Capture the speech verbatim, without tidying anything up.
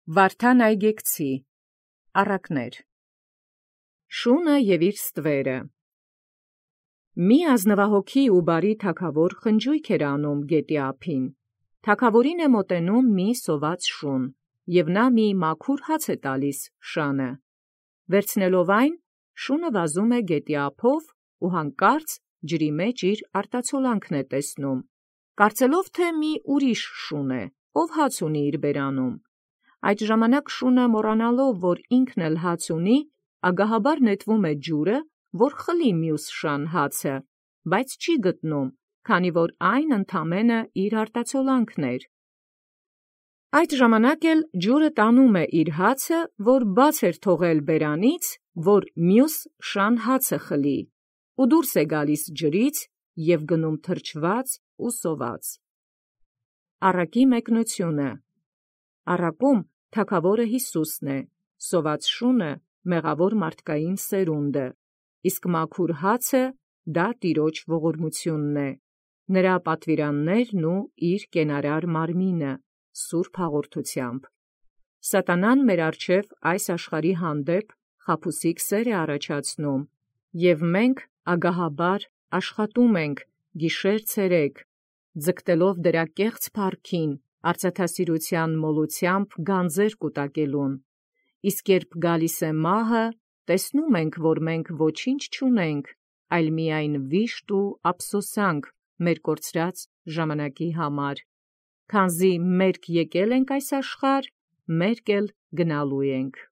Վարդան Այգեկցի առակներ Շունը և իր ստվերը Մի ազնվահոգի ու բարի թագավոր խնջույք էր անում գետի ափին։ Թագավորին է մոտենում մի սոված շուն, և նա մի մաքուր հաց է տալիս շանը։ Վերցնելով այն, շունը վազում է գետի ափով ու հանկարծ ջրի մեջ իր արտացոլանքն է տեսնում, կարծելով թե մի ուրիշ շուն է, ով հաց ունի իր բերանում։ Այդ ժամանակ շունը մոռանալով, որ ինքն էլ հաց ունի, ագահաբար նետվում է ջուրը, որ խլի մյուս շան հացը, բայց չի գտնում, քանի որ այն ընդամենը իր արտացոլանքն էր։ Այդ ժամանակ էլ ջուրը տանում է իր հացը, որ բաց էր թողել բերանից, որ մյուս շան հացը խլի, ու դուրս է գալիս ջրից և գնում թրջված ու սոված։ Առակի մեկնությունը Առակում թագավորը Յիսուսն է, սոված շունը մեղավոր մարդկային սերունդը, իսկ մաքուր հացը դա տիրոջ ողորմությունն է, նրա պատվիրաններն ու իր կենարար մարմինը, սուրբ հաղորդությամբ։ Սատանան մեր առջև այս աշխարհի հանդեպ խաբուսիկ սեր է առաջացնում, և մենք ագահաբար աշխատում ենք գիշեր-ցերեկ, ձգտելով դրա կեղծ փառքին, արծաթասիրութեան մոլութեամբ գանձեր կուտակելուն, իսկ երբ գալիս է մահը, տեսնում ենք, որ մենք ոչինչ չունենք, այլ միայն վիշտ ու ափսոսանք մեր կորցրած ժամանակի համար, քանզի մերկ եկել ենք այս աշխարհ, մերկ էլ գնալու ենք։